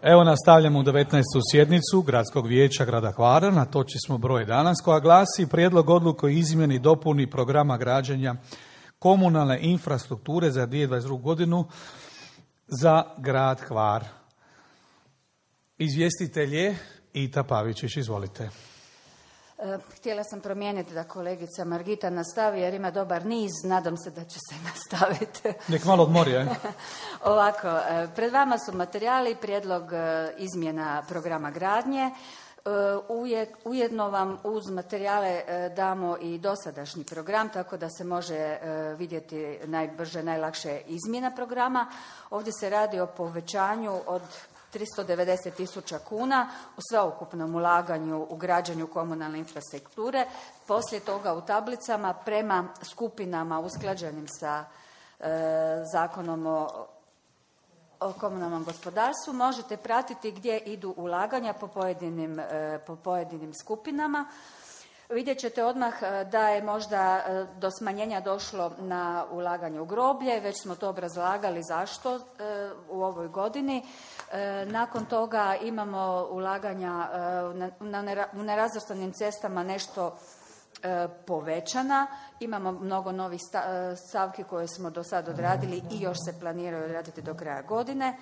Evo nastavljamo u 19. sjednicu Gradskog vijeća grada Hvara. Na točki smo broj danas koja glasi Prijedlog odluke o izmjeni i dopuni programa građenja komunalne infrastrukture za 2022. godinu za grad Hvar. Izvjestitelj je Ita Pavičić, izvolite. Htjela sam promijeniti da kolegica Margita nastavi jer ima dobar niz, nadam se da će se nastaviti. Nek malo odmori, je? Ovako, pred vama su materijali, prijedlog izmjena programa gradnje. Ujedno vam uz materijale damo i dosadašnji program, tako da se može vidjeti najbrže, najlakše izmjena programa. Ovdje se radi o povećanju od 390.000 kuna u sveukupnom ulaganju u građenju komunalne infrastrukture. Poslije toga u tablicama prema skupinama usklađenim sa Zakonom o komunalnom gospodarstvu možete pratiti gdje idu ulaganja po pojedinim skupinama. Vidjet ćete odmah da je možda do smanjenja došlo na ulaganje u groblje, već smo to obrazlagali zašto u ovoj godini. Nakon toga imamo ulaganja u nerazvrstanim cestama nešto povećana. Imamo mnogo novih stavki koje smo do sad odradili i još se planiraju odraditi do kraja godine.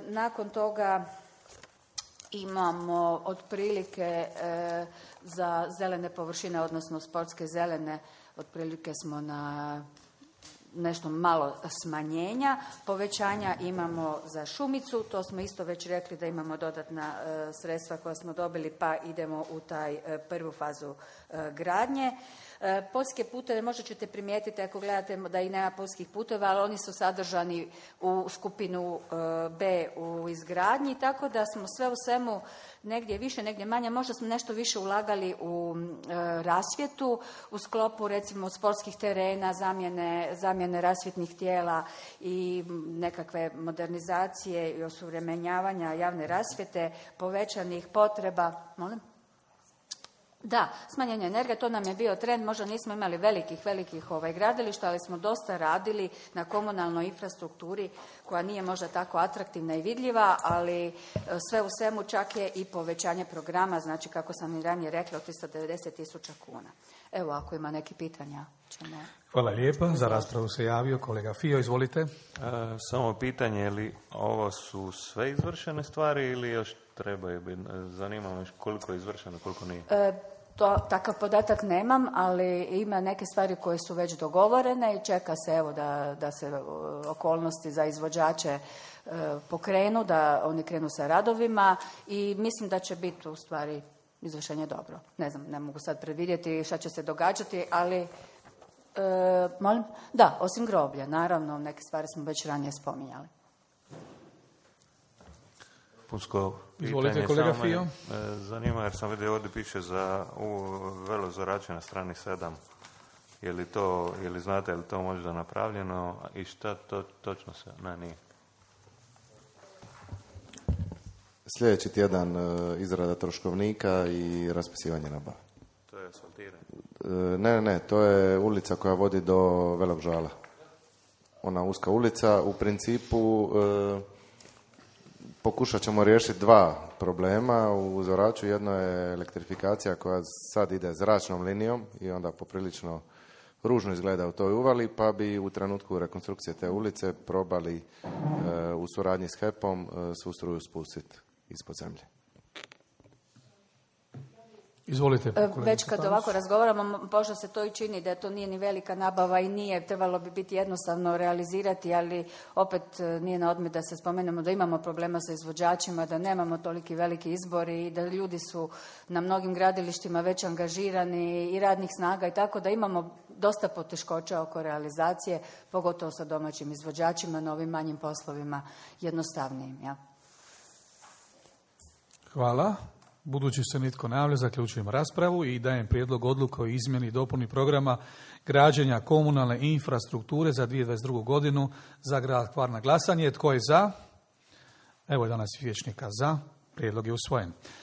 Nakon toga imamo otprilike za zelene površine, odnosno sportske zelene, otprilike smo na nešto malo smanjenja. Povećanja imamo za šumicu, to smo isto već rekli da imamo dodatna sredstva koja smo dobili, pa idemo u taj prvu fazu gradnje. Poljske puteve možda ćete primijetiti ako gledate da i nema poljskih puteva, ali oni su sadržani u skupinu B u izgradnji, tako da smo sve u svemu negdje više, negdje manje, možda smo nešto više ulagali u rasvjetu, u sklopu recimo sportskih terena, zamjene rasvjetnih tijela i nekakve modernizacije i osuvremenjavanja javne rasvjete, povećanih potreba. Molim? Da, smanjenje energije, to nam je bio trend, možda nismo imali velikih gradilišta, ali smo dosta radili na komunalnoj infrastrukturi koja nije možda tako atraktivna i vidljiva, ali sve u svemu čak je i povećanje programa, znači kako sam i ranije rekla, od 390.000 kuna. Evo, ako ima neki pitanja ćemo... Hvala lijepa, za raspravu se javio kolega Fio, izvolite. Samo pitanje, je li ovo su sve izvršene stvari ili još trebaju biti? Zanima me koliko je izvršeno, koliko nije. Takav podatak nemam, ali ima neke stvari koje su već dogovorene i čeka se evo da se okolnosti za izvođače pokrenu, da oni krenu sa radovima i mislim da će biti u stvari izvršenje dobro. Ne znam, ne mogu sad predvidjeti šta će se događati, ali molim? Da, osim groblja, naravno, neke stvari smo već ranije spominjali. Punsko izvolite, kolega Fio. Zanima jer sam vidio ovdje piše za velozorače na strani 7. Je li znate je li to možda napravljeno i šta to točno se... Ne, nije. Sljedeći tjedan izrada troškovnika i raspisivanje nabave. To je asfaltiranje? Ne, to je ulica koja vodi do Velog Žala. Ona uska ulica, u principu pokušat ćemo riješiti dva problema u Zoraču. Jedno je elektrifikacija koja sad ide zračnom linijom i onda poprilično ružno izgleda u toj uvali, pa bi u trenutku rekonstrukcije te ulice probali u suradnji s HEP-om svu struju spustiti ispod zemlje. Izvolite. Već kad ovako razgovaramo, možda se to i čini da to nije ni velika nabava i nije, trebalo bi biti jednostavno realizirati, ali opet nije na odmet da se spomenemo da imamo problema sa izvođačima, da nemamo toliki veliki izbor i da ljudi su na mnogim gradilištima već angažirani i radnih snaga i tako da imamo dosta poteškoća oko realizacije, pogotovo sa domaćim izvođačima, na ovim manjim poslovima jednostavnijim. Ja. Hvala. Budući se nitko ne javlja, zaključujem raspravu i dajem prijedlog odluke o izmjeni i dopuni programa građenja komunalne infrastrukture za 2022. godinu za grad Hvar na glasanje. Tko je za? Evo je danas vijećnika za. Prijedlog je usvojen.